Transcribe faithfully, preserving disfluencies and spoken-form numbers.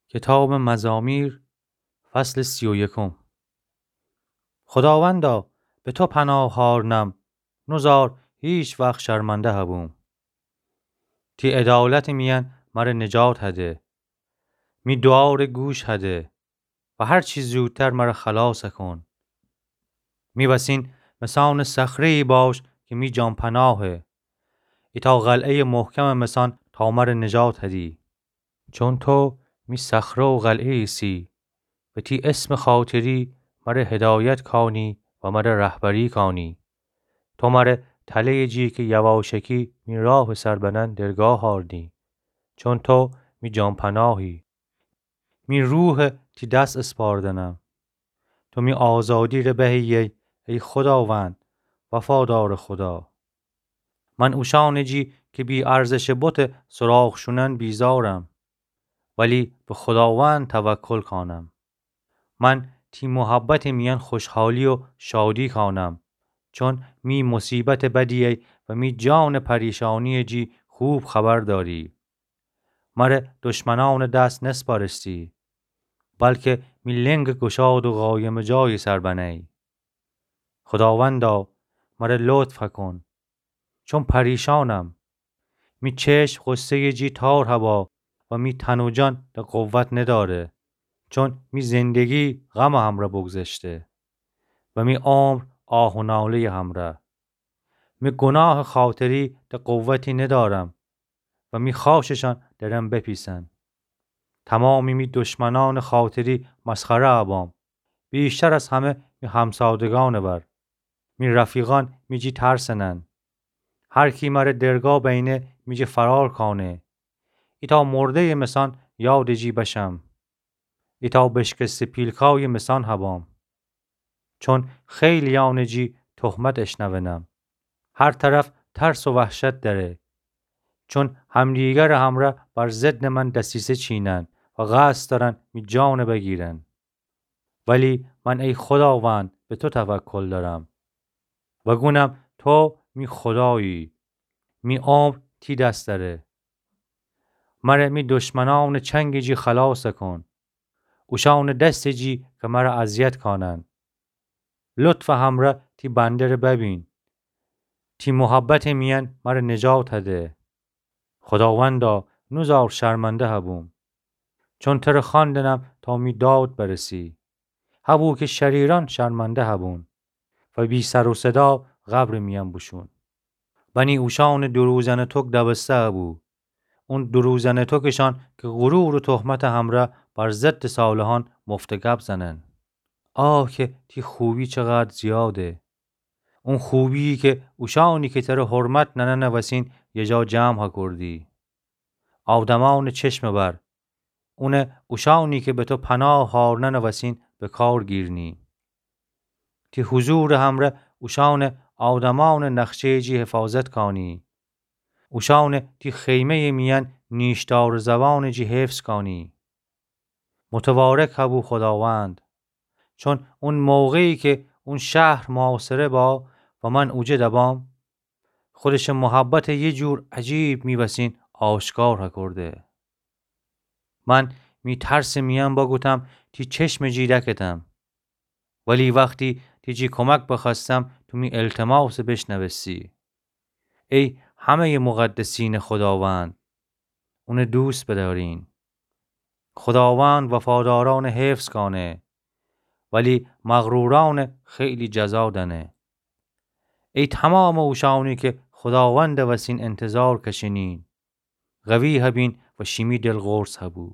کتابٚ مزامیر، فصلٚ سی و یکم. خوداوندا، به تو پناه هارنم، نوزار هیچ وخت شرمنده هبوم. تی عدالتٚ میأن مر نجات هده. می دوعاره گوش هده و هر چی زودتر مر خلاص کون. می وسین مثانٚ صخره‌یی باش که می جان‌پناهه. ایتأ قلعه‌یٚ محکمٚ مثان تا مر نجات هدی. چون تو می صخره و قلعه ایسی و تی اسمٚ خاطری مر هدایت کانی و مر رهبری کانی. تو مر تله‌یٚ جی که یواشکی می راهٚ سر بنن درگاه هاردی. چون تو می جان‌پناهی. می روح تی دس اسپاردنم. تو می آزادی ره بهیی، ای خوداوند، وفادارٚ خودا. من اوشأنٚ جی که بی‌ارزشٚ بتٚ سراخ شونن بیزارم، ولی به خوداوند توکل کانم. من تی محبتٚ میأن خوشحالی و شادی کانم، چون می مصیبتٚ بدیی و می جانٚ پریشانییٚ جی خوب خبر داری. مر دشمنأنٚ دس نسپارستی، بلکه می لنگٚ گشاد و قایمٚ جایی سر بنی. خوداوندا، مر لطف کون، چون پریشانم. می چشم غصه‌یٚ جی تار هبا و می تن و جان ده قوت نداره، چون می زندگی غمٚ همرأ بگذشته و می عمر آه و ناله‌یٚ همرأ. می گناهٚ خاطری ده قوتی ندارم و می خاشٚشأن درم بپیسن. تومامٚ می دشمنأنٚ خاطری مسخره ابام، ویشتر از همه می همسادگأنٚ بر. می رفیقأن می جی ترسنن. هر کی مر درگاه بینه می جی فرار کانه. ایتأ مرده‌یٚ مثان یادٚ جی بشم. ایتأ بشکسته پیلکایٚ مثان هبام. چون خیلیأنٚ جی تهمت اشنونم. هر طرف ترس و وحشت دأره. چون همدیگرٚ همرأ بر ضدٚ من دسیسه چینن و قصد دأرن می جان بگیرن. ولی من، ای خوداوند، به تو توکل دأرم و گونم تو می خودایی. می عمر تی دس دأره. مر می دشمنأنٚ چنگٚ جی خلاص کون. اوشأنٚ دستٚ جی که مر اذیت کانن. لطفٚ همرأ تی بنده ره ببین. تی محبتٚ میأن مر نجات هده. خوداوندا، نوزار شرمنده هبوم. چون تر خواندنم تا می داد برسی. هبو که شریرأن شرمنده هبون و بی‌سر و صدا قبرٚ میأن بوشون. بنی اوشأنٚ دروزنٚ توک دبسته هبو. اون دروزنٚ توکٚشأن که غرور و تهمتٚ همرأ بر ضدٚ صالحأن مفته گب زنن. آه که تی خوبی چقدر زیاده. اون خوبیی که اوشأنی که تر حرمت نننٚ وسین یه جا جمع هکردی. آدمأنٚ چشمٚ بر. اونه اوشأنی که به تو پناه هارننٚ وسین به کار گیرنی. تی حضورٚ همرأ اوشأنٚ آدمأنٚ نقشه‌یٚ جی حفاظت کانی. اوشأنٚ تی خیمه‌یٚ میأن نیشدارٚ زبانٚ جی حفظ کانی. متبارک هبو خوداوند. چون اون موقعی که اون شهر محاصره با و من اوجه دبام، خودشٚ محبت یه جور عجیب می وسین آشکار هکرده. من می ترسٚ میأن بگوتم تی چشمٚ جی دکتم. ولی وختی تی جی کمک بخوأستم، تو می التماسٚ بشنوستی. ای همه‌یٚ مقدسینٚ خوداوند، اونٚ دوست بدأرین. خوداوند وفادارأنٚ حفظ کانه، ولی مغرورأنٚ خیلی جزا دأنه. ای تومامٚ اوشأنی که خوداوندٚ وسین انتظار کشینین، قوی هبین و شیمی دل قرص هبو.